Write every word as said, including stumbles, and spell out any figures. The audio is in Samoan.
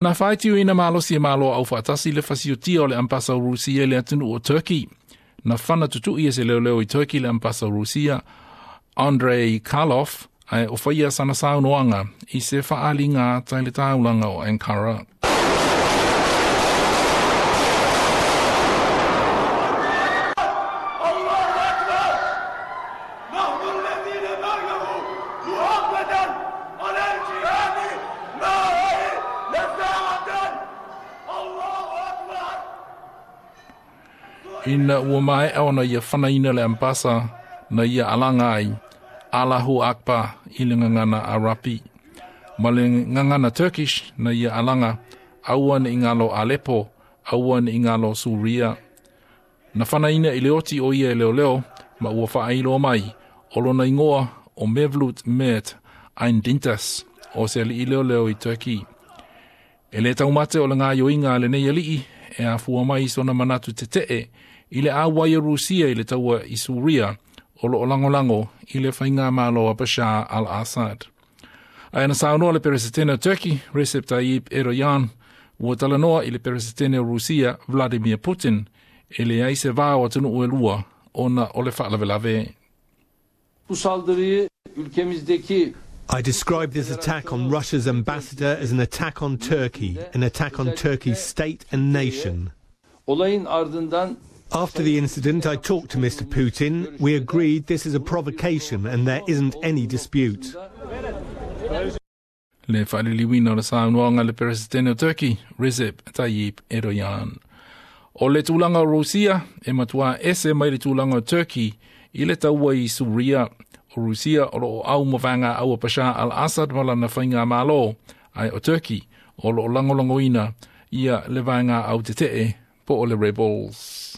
Na faitiuina malosi e malo au faatasi le fasiotia o le ambasa o Rusia i le atunuu o Turkey. Na fana tutu'i e se leoleo i Turkey le ambasa o Rusia, Andrei Karlov, ae o faia sana saunoaga i se faaaliga ata i le taulaga o Ankara. الله أكبر نحن الذين بلغوا محمدا على الجهاد ما هي لساعة الله أكبر Ina ua maea ona ia fanaina le ambasa na ia alaga ai Allahu Akbar i le gagana Arapi. Ma le gagana Turkish na ia alaga aua ne i galo Aleppo, aua ne i galo Suria. Na fanaina i le oti o ia e leoleo ma ua faailoa mai o lona igoa o Mevlut Mert Aindintas o se alii leoleo i Turkey. E le taumate o le gaioiga a lenei alii e afua mai i sona manatu tetee i le auai o Rusia i le taua i Suria o loo lagolago i le faigamalo a Bashar al-Assad. Ae na saunoa le Peresetene o Turkey, Recep Tayyip Erdogan, ua talanoa i le Peresetene o Rusia, Vladimir Putin, e leai se va o atunuu e lua ona o le faalavelave. Bu saldırıyı ülkemizdeki I describe this attack on Russia's ambassador as an attack on Turkey, an attack on Turkey's state and nation. Olayın ardından After the incident, I talked to Mister Putin. We agreed this is a provocation and there isn't any dispute. Le faaliliuina o le saunoaga le Peresetene o Turkey, Recep Tayyip Erdogan. O le tulaga o Rusia e matuā ese mai le tulaga o Turkey i le taua i Suria. O Rusia o loo au ma vaega au a Bashar al-Assad ma lana faigamalo, ae o Turkey o loo lagolagoina ia le vaega au tetee po o le rebels.